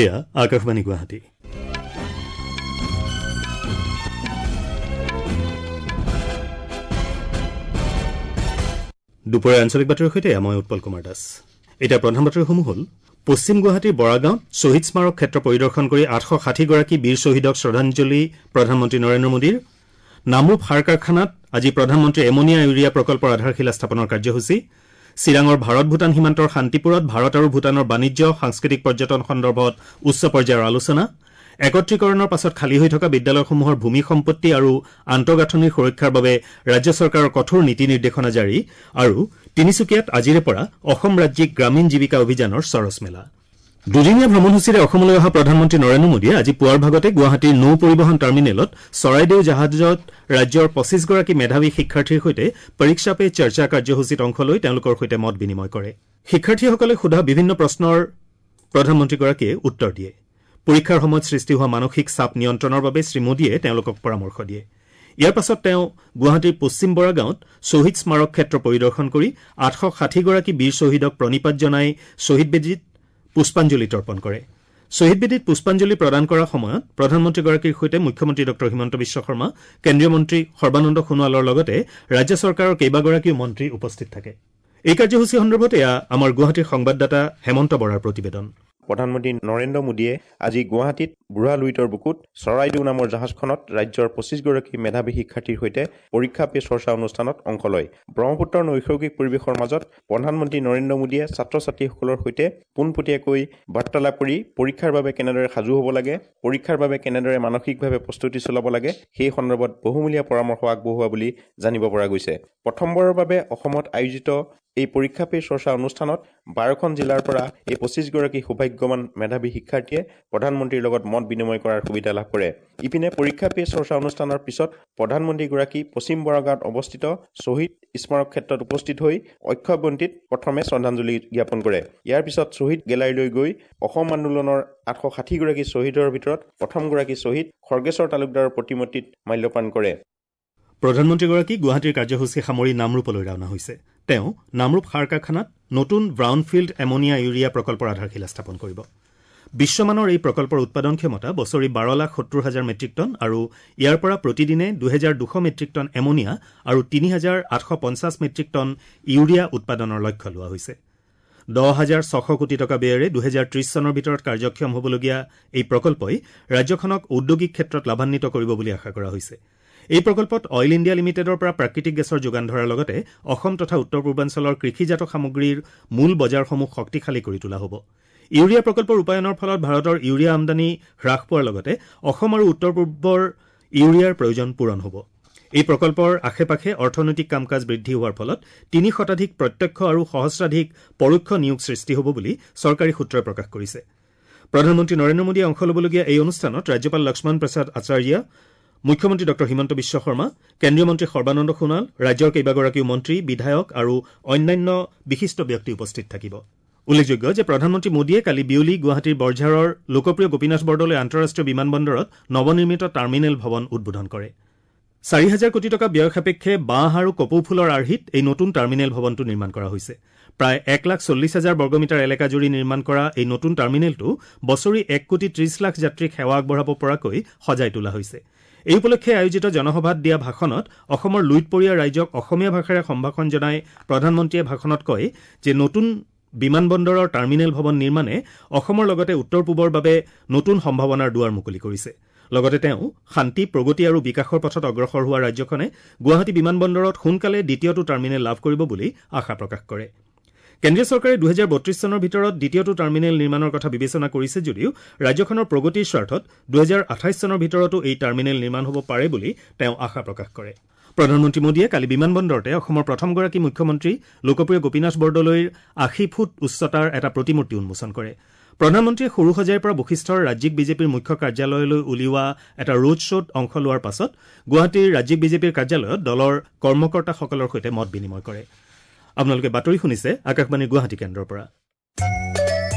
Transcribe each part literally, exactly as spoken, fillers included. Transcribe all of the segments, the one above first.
এয়া আকাশবাণী গুৱাহাটী। দুপৰীয়া আঞ্চলিক বাতৰিৰ সৈতে মই উৎপল কুমাৰ দাস। এতিয়া প্ৰধান বাতৰিসমূহ হ'ল: পশ্চিম গুৱাহাটীৰ বৰাগাঁৱত শ্বহীদ স্মাৰক ক্ষেত্ৰ পৰিদৰ্শন কৰি আঠশ ষাঠিগৰাকী বীৰ শ্বহীদক শ্ৰদ্ধাঞ্জলি প্ৰধানমন্ত্ৰী নৰেন্দ্ৰ মোদীৰ। নামৰূপ সাৰ কাৰখানাত আজি প্ৰধানমন্ত্ৰীৰ এমনিয়া ইউৰিয়া প্ৰকল্পৰ আধাৰশিলা স্থাপনৰ কাৰ্যসূচী। চিৰাঙৰ ভাৰত ভূটান সীমান্তৰ শান্তিপুৰত ভাৰত আৰু ভূটানৰ বাণিজ্য, সাংস্কৃতিক পৰ্যটন সন্দৰ্ভত উচ্চ পৰ্যায়ৰ আলোচনা। একত্ৰীকৰণৰ পাছত খালী হৈ থকা বিদ্যালয়সমূহৰ ভূমি সম্পত্তি আৰু আন্তঃগাঁথনিৰ সুৰক্ষাৰ বাবে ৰাজ্য চৰকাৰৰ কঠোৰ নীতি নিৰ্দেশনা জাৰি। আৰু তিনিচুকীয়াত আজিৰে পৰা অসম ৰাজ্যিক গ্ৰামীণ জীৱিকা অভিযানৰ চৰচ মেলা। দুদিনীয়া ভ্ৰমণসূচীৰে অসমলৈ অহা প্ৰধানমন্ত্ৰী নৰেন্দ্ৰ মোদীয়ে আজি পুৱাৰ ভাগতে গুৱাহাটীৰ নৌ পৰিবহণ টাৰ্মিনেলত চৰাইদেউ জাহাজত ৰাজ্যৰ পঁচিছগৰাকী মেধাৱী শিক্ষাৰ্থীৰ সৈতে পৰীক্ষা পে চৰ্চা কাৰ্যসূচীত অংশ লৈ তেওঁলোকৰ সৈতে মত বিনিময় কৰে। শিক্ষাৰ্থীসকলে সোধা বিভিন্ন প্ৰশ্নৰ প্ৰধানমন্ত্ৰীগৰাকীয়ে উত্তৰ দিয়ে। পৰীক্ষাৰ সময়ত সৃষ্টি হোৱা মানসিক চাপ নিয়ন্ত্ৰণৰ বাবে শ্ৰীমোদীয়ে তেওঁলোকক পৰামৰ্শ দিয়ে। ইয়াৰ পাছত তেওঁ গুৱাহাটীৰ পশ্চিম বৰাগাঁৱত শ্বহীদ স্মাৰক ক্ষেত্ৰ পৰিদৰ্শন কৰি আঠশ ষাঠিগৰাকী বীৰ শ্বহীদক প্ৰণিপাত জনাই শ্বহীদ বেদীত পুষ্পাঞ্জলি তৰ্পণ কৰে। শ্বহীদ বেদীত পুষ্পাঞ্জলি প্ৰদান কৰাৰ সময়ত প্ৰধানমন্ত্ৰীগৰাকীৰ সৈতে মুখ্যমন্ত্ৰী ডঃ হিমন্ত বিশ্ব শৰ্মা, কেন্দ্ৰীয় মন্ত্ৰী সৰ্বানন্দ সোণোৱালৰ লগতে ৰাজ্য চৰকাৰৰ কেইবাগৰাকীও মন্ত্ৰী উপস্থিত থাকে। এই কাৰ্যসূচী সন্দৰ্ভত এয়া আমাৰ গুৱাহাটীৰ সংবাদদাতা হেমন্ত বৰাৰ প্ৰতিবেদন। প্ৰধানমন্ত্ৰী নৰেন্দ্ৰ মোদীয়ে আজি গুৱাহাটীত বুঢ়া লুইতৰ বুকুত চৰাইদেউ নামৰ জাহাজখনত ৰাজ্যৰ পঁচিছগৰাকী মেধাৱী শিক্ষাৰ্থীৰ সৈতে পৰীক্ষা পে চৰ্চা অনুষ্ঠানত অংশ লয়। ব্ৰহ্মপুত্ৰৰ নৈসৰ্গিক পৰিৱেশৰ মাজত প্ৰধানমন্ত্ৰী নৰেন্দ্ৰ মোদীয়ে ছাত্ৰ ছাত্ৰীসকলৰ সৈতে পোনপটীয়াকৈ বাৰ্তালাপ কৰি পৰীক্ষাৰ বাবে কেনেদৰে সাজু হ'ব লাগে, পৰীক্ষাৰ বাবে কেনেদৰে মানসিকভাৱে প্ৰস্তুতি চলাব লাগে সেই সন্দৰ্ভত বহুমূলীয়া পৰামৰ্শ আগবঢ়োৱা বুলি জানিব পৰা গৈছে। প্ৰথমবাৰৰ বাবে অসমত আয়োজিত এই পৰীক্ষা পে চৰ্চা অনুষ্ঠানত বাৰখন জিলাৰ পৰা এই পঁচিছগৰাকী সৌভাগ্যৱান মেধাৱী শিক্ষাৰ্থীয়ে প্ৰধানমন্ত্ৰীৰ লগত মত বিনিময় কৰাৰ সুবিধা লাভ কৰে। ইপিনে পৰীক্ষা পে চৰ্চা অনুষ্ঠানৰ পিছত প্ৰধানমন্ত্ৰীগৰাকী পশ্চিম বৰাগাঁৱত অৱস্থিত শ্বহীদ স্মাৰক ক্ষেত্ৰত উপস্থিত হৈ অক্ষয় বন্তিত প্ৰথমে শ্ৰদ্ধাঞ্জলি জ্ঞাপন কৰে। ইয়াৰ পিছত শ্বহীদ গেলাৰীলৈ গৈ অসম আন্দোলনৰ আঠশ ষাঠিগৰাকী শ্বহীদৰ ভিতৰত প্ৰথমগৰাকী শ্বহীদ খৰ্গেশ্বৰ তালুকদাৰৰ প্ৰতিমূৰ্তিত মাল্যৰ্পণ কৰে। প্ৰধানমন্ত্ৰীগৰাকী গুৱাহাটীৰ কাৰ্যসূচী সামৰি নামৰূপলৈ ৰাওনা হৈছে। তেওঁ নামৰূপ সাৰ কাৰখানাত নতুন ব্ৰাউনফিল্ড এমনিয়া ইউৰিয়া প্ৰকল্পৰ আধাৰশিলা স্থাপন কৰিব। বিশ্বমানৰ এই প্ৰকল্পৰ উৎপাদন ক্ষমতা বছৰি বাৰ লাখ সত্তৰ হাজাৰ মেট্ৰিক টন আৰু ইয়াৰ পৰা প্ৰতিদিনে দুহেজাৰ দুশ মেট্ৰিক টন এমনিয়া আৰু তিনি হাজাৰ আঠশ পঞ্চাছ মেট্ৰিক টন ইউৰিয়া উৎপাদনৰ লক্ষ্য লোৱা হৈছে। দহ হাজাৰ ছশ কোটি টকা ব্যয়েৰে দুহেজাৰ ত্ৰিছ চনৰ ভিতৰত কাৰ্যক্ষম হ'বলগীয়া এই প্ৰকল্পই ৰাজ্যখনক ঔদ্যোগিক ক্ষেত্ৰত লাভান্বিত কৰিব বুলি আশা কৰা হৈছে। এই প্ৰকল্পত অইল ইণ্ডিয়া লিমিটেডৰ পৰা প্ৰাকৃতিক গেছৰ যোগান ধৰাৰ লগতে অসম তথা উত্তৰ পূৰ্বাঞ্চলৰ কৃষিজাত সামগ্ৰীৰ মূল বজাৰসমূহ শক্তিশালী কৰি তোলা হ'ব। ইউৰিয়া প্ৰকল্প ৰূপায়ণৰ ফলত ভাৰতৰ ইউৰিয়া আমদানি হ্ৰাস পোৱাৰ লগতে অসম আৰু উত্তৰ পূৰ্বৰ ইউৰিয়াৰ প্ৰয়োজন পূৰণ হ'ব। এই প্ৰকল্পৰ আশে পাশে অৰ্থনৈতিক কাম কাজ বৃদ্ধি হোৱাৰ ফলত তিনি শতাধিক প্ৰত্যক্ষ আৰু সহস্ৰাধিক পৰোক্ষ নিয়োগ সৃষ্টি হ'ব বুলি চৰকাৰী সূত্ৰই প্ৰকাশ কৰিছে। প্ৰধানমন্ত্ৰী নৰেন্দ্ৰ মোদীয়ে অংশ ল'বলগীয়া এই অনুষ্ঠানত ৰাজ্যপাল লক্ষ্মণ প্ৰসাদ আচাৰ্য, মুখ্যমন্ত্ৰী ডঃ হিমন্ত বিশ্ব শৰ্মা, কেন্দ্ৰীয় মন্ত্ৰী সৰ্বানন্দ সোণোৱাল, ৰাজ্যৰ কেইবাগৰাকীও মন্ত্ৰী, বিধায়ক আৰু অন্যান্য বিশিষ্ট ব্যক্তি উপস্থিত থাকিব। উল্লেখযোগ্য যে প্ৰধানমন্ত্ৰী মোদীয়ে কালি বিয়লি গুৱাহাটীৰ বৰঝাৰৰ লোকপ্ৰিয় গোপীনাথ বৰদলৈ আন্তঃৰাষ্ট্ৰীয় বিমানবন্দৰত নৱনিৰ্মিত টাৰ্মিনেল ভৱন উদ্বোধন কৰে। চাৰি হাজাৰ কোটি টকা ব্যয় সাপেক্ষে বাঁহ আৰু কপৌ ফুলৰ আৰ্হিত এই নতুন টাৰ্মিনেল ভৱনটো নিৰ্মাণ কৰা হৈছে। প্ৰায় এক লাখ চল্লিছ হাজাৰ বৰ্গমিটাৰ এলেকা জুৰি নিৰ্মাণ কৰা এই নতুন টাৰ্মিনেলটো বছৰি এক কোটি ত্ৰিছ লাখ যাত্ৰীক সেৱা আগবঢ়াব পৰাকৈ সজাই তোলা হৈছে। এই উপলক্ষে আয়োজিত জনসভাত দিয়া ভাষণত অসমৰ লুইতপৰীয়া ৰাইজক অসমীয়া ভাষাৰে সম্ভাষণ জনাই প্ৰধানমন্ত্ৰীয়ে ভাষণত কয় যে নতুন বিমানবন্দৰৰ টাৰ্মিনেল ভৱন নিৰ্মাণে অসমৰ লগতে উত্তৰ পূবৰ বাবে নতুন সম্ভাৱনাৰ দুৱাৰ মুকলি কৰিছে। লগতে তেওঁ শান্তি, প্ৰগতি আৰু বিকাশৰ পথত অগ্ৰসৰ হোৱা ৰাজ্যখনে গুৱাহাটী বিমানবন্দৰত সোনকালে দ্বিতীয়টো টাৰ্মিনেল লাভ কৰিব বুলি আশা প্ৰকাশ কৰে। কেন্দ্ৰীয় চৰকাৰে দুহেজাৰ বত্ৰিছ চনৰ ভিতৰত দ্বিতীয়টো টাৰ্মিনেল নিৰ্মাণৰ কথা বিবেচনা কৰিছে যদিও ৰাজ্যখনৰ প্ৰগতিৰ স্বাৰ্থত দুহেজাৰ আঠাইছ চনৰ ভিতৰতো এই টাৰ্মিনেল নিৰ্মাণ হ'ব পাৰে বুলি তেওঁ আশা প্ৰকাশ কৰে। প্ৰধানমন্ত্ৰী মোদীয়ে কালি বিমানবন্দৰতে অসমৰ প্ৰথমগৰাকী মুখ্যমন্ত্ৰী লোকপ্ৰিয় গোপীনাথ বৰদলৈৰ আশী ফুট উচ্চতাৰ এটা প্ৰতিমূৰ্তি উন্মোচন কৰে। প্ৰধানমন্ত্ৰীয়ে সৰুসজাইৰ পৰা বশিষ্ঠৰ ৰাজ্যিক বিজেপিৰ মুখ্য কাৰ্যালয়লৈ উলিওৱা এটা ৰোড শ্ব'ত অংশ লোৱাৰ পাছত গুৱাহাটীৰ ৰাজ্যিক বিজেপিৰ কাৰ্যালয়ত দলৰ কৰ্মকৰ্তাসকলৰ সৈতে মত বিনিময় কৰে। আপোনালোকে বাতৰি শুনিছে আকাশবাণীৰ গুৱাহাটী কেন্দ্ৰৰ পৰা।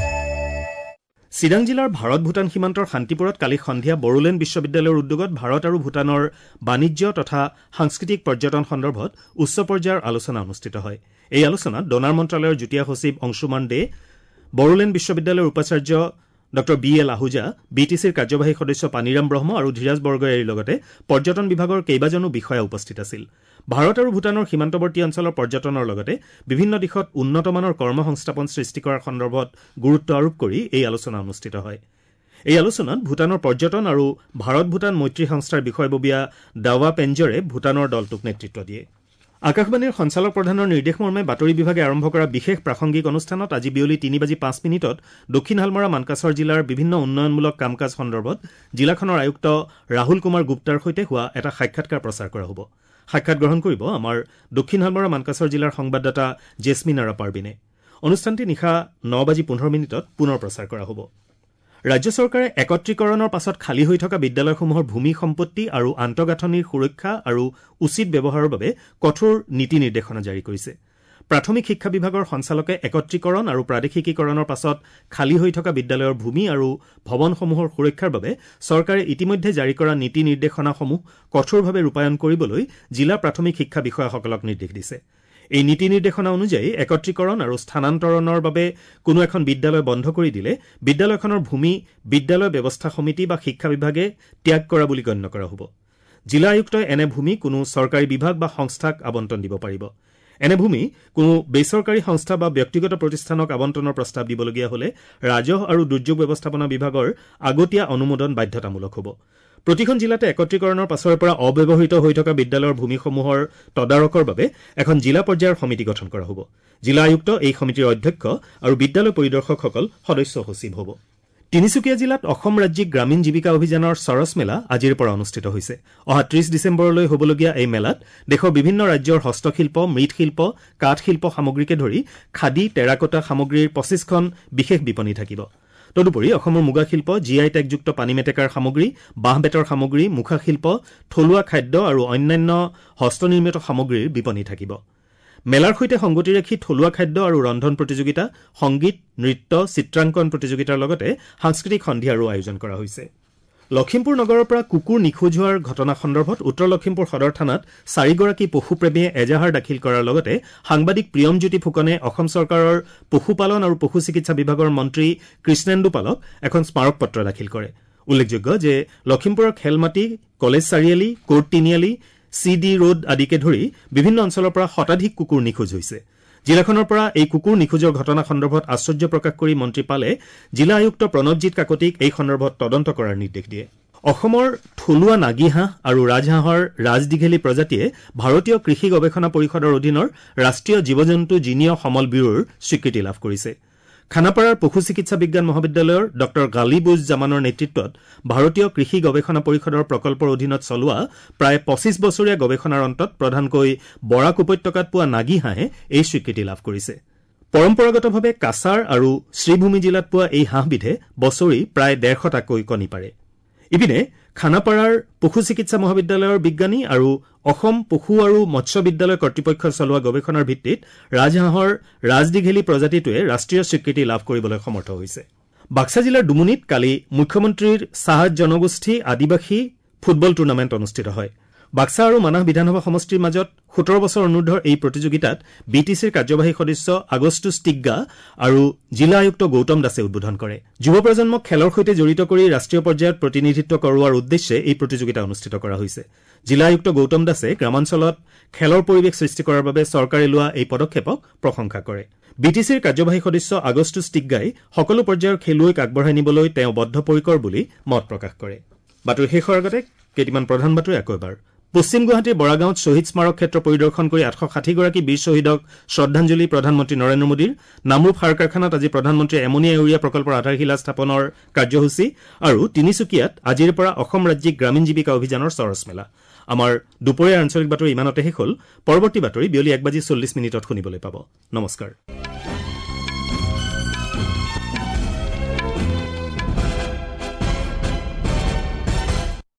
চিৰাং জিলাৰ ভাৰত ভূটান সীমান্তৰ শান্তিপুৰত কালি সন্ধিয়া বড়োলেণ্ড বিশ্ববিদ্যালয়ৰ উদ্যোগত ভাৰত আৰু ভূটানৰ বাণিজ্য তথা সাংস্কৃতিক পৰ্যটন সন্দৰ্ভত উচ্চ পৰ্যায়ৰ আলোচনা অনুষ্ঠিত হয়। এই আলোচনাত ডনাৰ মন্ত্ৰালয়ৰ যুটীয়া সচিব অংশুমান দে, বড়োলেণ্ড বিশ্ববিদ্যালয়ৰ উপাচাৰ্য Doctor B L Ahuja, B T চিৰ কাৰ্যবাহী সদস্য পানীৰাম ব্ৰহ্ম আৰু ধীৰাজ বৰগয়াৰীৰ লগতে পৰ্যটন বিভাগৰ কেইবাজনো বিষয়া উপস্থিত আছিল। ভাৰত আৰু ভূটানৰ সীমান্তৱৰ্তী অঞ্চলৰ পৰ্যটনৰ লগতে বিভিন্ন দিশত উন্নতমানৰ কৰ্মসংস্থাপন সৃষ্টি কৰাৰ সন্দৰ্ভত গুৰুত্ব আৰোপ কৰি এই আলোচনা অনুষ্ঠিত হয়। এই আলোচনাত ভূটানৰ পৰ্যটন আৰু ভাৰত ভূটান মৈত্ৰী সংস্থাৰ বিষয়ববীয়া দাৱা পেঞ্জৰে ভূটানৰ দলটোক নেতৃত্ব দিয়ে। আকাশবাণীৰ সঞ্চালক প্ৰধানৰ নিৰ্দেশ মৰ্মে বাতৰি বিভাগে আৰম্ভ কৰা বিশেষ প্ৰাসংগিক অনুষ্ঠানত আজি বিয়লি তিনি বাজি পাঁচ মিনিটত দক্ষিণ হালমৰা মানকাচৰ জিলাৰ বিভিন্ন উন্নয়নমূলক কাম কাজ সন্দৰ্ভত জিলাখনৰ আয়ুক্ত ৰাহুল কুমাৰ গুপ্তাৰ সৈতে হোৱা এটা সাক্ষাৎকাৰ প্ৰচাৰ কৰা হ'ব। সাক্ষাৎ গ্ৰহণ কৰিব আমাৰ দক্ষিণ হালমৰা মানকাচৰ জিলাৰ সংবাদদাতা জেছমিনাৰা পাৰবিনে। অনুষ্ঠানটি নিশা ন বাজি পোন্ধৰ মিনিটত পুনৰ প্ৰচাৰ কৰা হ'ব। ৰাজ্য চৰকাৰে একত্ৰীকৰণৰ পাছত খালী হৈ থকা বিদ্যালয়সমূহৰ ভূমি সম্পত্তি আৰু আন্তঃগাঁথনিৰ সুৰক্ষা আৰু উচিত ব্যৱহাৰৰ বাবে কঠোৰ নীতি নিৰ্দেশনা জাৰি কৰিছে। প্ৰাথমিক শিক্ষা বিভাগৰ সঞ্চালকে একত্ৰীকৰণ আৰু প্ৰাদেশিকীকৰণৰ পাছত খালী হৈ থকা বিদ্যালয়ৰ ভূমি আৰু ভৱনসমূহৰ সুৰক্ষাৰ বাবে চৰকাৰে ইতিমধ্যে জাৰি কৰা নীতি নিৰ্দেশনাসমূহ কঠোৰভাৱে ৰূপায়ণ কৰিবলৈ জিলা প্ৰাথমিক শিক্ষা বিষয়াসকলক নিৰ্দেশ দিছে। এই নীতি নিৰ্দেশনা অনুযায়ী একত্ৰীকৰণ আৰু স্থানান্তৰণৰ বাবে কোনো এখন বিদ্যালয় বন্ধ কৰি দিলে বিদ্যালয়খনৰ ভূমি বিদ্যালয় ব্যৱস্থা সমিতি বা শিক্ষা বিভাগে ত্যাগ কৰা বুলি গণ্য কৰা হ'ব। জিলা আয়ুক্তই এনে ভূমি কোনো চৰকাৰী বিভাগ বা সংস্থাক আবণ্টন দিব পাৰিব। এনে ভূমি কোনো বেচৰকাৰী সংস্থা বা ব্যক্তিগত প্ৰতিষ্ঠানক আবণ্টনৰ প্ৰস্তাৱ দিবলগীয়া হ'লে ৰাজহ আৰু দুৰ্যোগ ব্যৱস্থাপনা বিভাগৰ আগতীয়া অনুমোদন বাধ্যতামূলক হ'ব। প্ৰতিখন জিলাতে একত্ৰীকৰণৰ পাছৰে পৰা অব্যৱহৃত হৈ থকা বিদ্যালয়ৰ ভূমিসমূহৰ তদাৰকৰ বাবে এখন জিলা পৰ্যায়ৰ সমিতি গঠন কৰা হ'ব। জিলা আয়ুক্ত এই সমিতিৰ অধ্যক্ষ আৰু বিদ্যালয় পৰিদৰ্শকসকল সদস্য সচিব হ'ব। তিনিচুকীয়া জিলাত অসম ৰাজ্যিক গ্ৰামীণ জীৱিকা অভিযানৰ চৰচ মেলা আজিৰ পৰা অনুষ্ঠিত হৈছে। অহা ত্ৰিশ ডিচেম্বৰলৈ হ'বলগীয়া এই মেলাত দেশৰ বিভিন্ন ৰাজ্যৰ হস্তশিল্প, মৃৎশিল্প, কাঠশিল্প সামগ্ৰীকে ধৰি খাদী, টেৰাকোটা সামগ্ৰীৰ পঁচিছখন বিশেষ বিপণী থাকিব। তদুপৰি অসমৰ মুগাশিল্প, জি I টেগযুক্ত পানী মেটেকাৰ সামগ্ৰী, বাঁহ বেতৰ সামগ্ৰী, মুখাশিল্প, থলুৱা খাদ্য আৰু অন্যান্য হস্তনিৰ্মিত সামগ্ৰীৰ বিপণী থাকিব। মেলাৰ সৈতে সংগতি ৰাখি থলুৱা খাদ্য আৰু ৰন্ধন প্ৰতিযোগিতা, সংগীত, নৃত্য, চিত্ৰাংকন প্ৰতিযোগিতাৰ লগতে সাংস্কৃতিক সন্ধিয়াৰো আয়োজন কৰা হৈছে। লখিমপুৰ নগৰৰ পৰা কুকুৰ নিখোজ হোৱাৰ ঘটনা সন্দৰ্ভত উত্তৰ লখিমপুৰ সদৰ থানাত চাৰিগৰাকী পশুপ্ৰেমীয়ে এজাহাৰ দাখিল কৰাৰ লগতে সাংবাদিক প্ৰিয়মজ্যোতি ফুকনে অসম চৰকাৰৰ পশুপালন আৰু পশু চিকিৎসা বিভাগৰ মন্ত্ৰী কৃষ্ণেন্দু পালক এখন স্মাৰক পত্ৰ দাখিল কৰে। উল্লেখযোগ্য যে লখিমপুৰৰ খেলমাটি, কলেজ চাৰিআলি, কোৰ্ট তিনিআলি, চি ডি ৰোড আদিকে ধৰি বিভিন্ন অঞ্চলৰ পৰা শতাধিক কুকুৰ নিখোজ হৈছে। জিলাখনৰ পৰা এই কুকুৰ নিখোজৰ ঘটনা সন্দৰ্ভত আশ্চৰ্য প্ৰকাশ কৰি মন্ত্ৰী পালে জিলা আয়ুক্ত প্ৰণৱজিৎ কাকতিক এই সন্দৰ্ভত তদন্ত কৰাৰ নিৰ্দেশ দিয়ে। অসমৰ থলুৱা নাগী হাঁহ আৰু ৰাজহাঁহৰ ৰাজদীঘেলী প্ৰজাতিয়ে ভাৰতীয় কৃষি গৱেষণা পৰিষদৰ অধীনৰ ৰাষ্ট্ৰীয় জীৱ জন্তু জিনীয় সমল ব্যুৰোৰ স্বীকৃতি লাভ কৰিছে। খানাপাৰাৰ পশু চিকিৎসা বিজ্ঞান মহাবিদ্যালয়ৰ ডঃ গালিবুজ জামানৰ নেতৃত্বত ভাৰতীয় কৃষি গৱেষণা পৰিষদৰ প্ৰকল্পৰ অধীনত চলোৱা প্ৰায় পঁচিছ বছৰীয়া গৱেষণাৰ অন্তত প্ৰধানকৈ বৰাক উপত্যকাত পোৱা নাগী হাঁহে এই স্বীকৃতি লাভ কৰিছে। পৰম্পৰাগতভাৱে কাছাৰ আৰু শ্ৰীভূমি জিলাত পোৱা এই হাঁহবিধে বছৰি প্ৰায় ডেৰশটাকৈ কণী পাৰে। ইপিনে খানাপাৰাৰ পশু চিকিৎসা মহাবিদ্যালয়ৰ বিজ্ঞানী আৰু অসম পশু আৰু মৎস্য বিদ্যালয় কৰ্তৃপক্ষই চলোৱা গৱেষণাৰ ভিত্তিত ৰাজহাঁহৰ ৰাজদীঘেলী প্ৰজাতিটোৱে ৰাষ্ট্ৰীয় স্বীকৃতি লাভ কৰিবলৈ সমৰ্থ হৈছে। বাক্সা জিলাৰ ডুমুনীত কালি মুখ্যমন্ত্ৰীৰ চাহ জনগোষ্ঠী আদিবাসী ফুটবল টুৰ্ণামেণ্ট অনুষ্ঠিত হয়। বাক্সা আৰু মানাহ বিধানসভা সমষ্টিৰ মাজত সোতৰ বছৰ অনুৰ্ধৰ এই প্ৰতিযোগিতাত বি টি চিৰ কাৰ্যবাহী সদস্য আগষ্টুছ টিগ্গা আৰু জিলা আয়ুক্ত গৌতম দাসে উদ্বোধন কৰে। যুৱ প্ৰজন্মক খেলৰ সৈতে জড়িত কৰি ৰাষ্ট্ৰীয় পৰ্যায়ত প্ৰতিনিধিত্ব কৰোৱাৰ উদ্দেশ্যে এই প্ৰতিযোগিতা অনুষ্ঠিত কৰা হৈছে। জিলা আয়ুক্ত গৌতম দাসে গ্ৰামাঞ্চলত খেলৰ পৰিৱেশ সৃষ্টি কৰাৰ বাবে চৰকাৰে লোৱা এই পদক্ষেপক প্ৰশংসা কৰে। বি টি চিৰ কাৰ্যবাহী সদস্য আগষ্টুছ টিগ্গাই সকলো পৰ্যায়ৰ খেলুৱৈক আগবঢ়াই নিবলৈ তেওঁ বদ্ধপৰিকৰ বুলি মত প্ৰকাশ কৰে। বাতৰি শেষ হোৱাৰ আগতে কেইটিমান প্ৰধান বাতৰি আকৌ এবাৰ। পশ্চিম গুৱাহাটীৰ বৰাগাঁৱত শ্বহীদ স্মাৰক ক্ষেত্ৰ পৰিদৰ্শন কৰি আঠশ ষাঠিগৰাকী বীৰ শ্বহীদক শ্ৰদ্ধাঞ্জলি প্ৰধানমন্ত্ৰী নৰেন্দ্ৰ মোদীৰ। নামৰূপ সাৰ কাৰখানাত আজি প্ৰধানমন্ত্ৰীয়ে এমনিয়া ইউৰিয়া প্ৰকল্পৰ আধাৰশিলা স্থাপনৰ কাৰ্যসূচী আৰু তিনিচুকীয়াত আজিৰ পৰা অসম ৰাজ্যিক গ্ৰামীণ জীৱিকা অভিযানৰ চৰচ মেলা। আমাৰ দুপৰীয়াৰ আঞ্চলিক বাতৰি ইমানতে শেষ হ'ল। পৰৱৰ্তী বাতৰি বিয়লি এক বাজি চল্লিছ মিনিটত শুনিবলৈ পাব। নমস্কাৰ।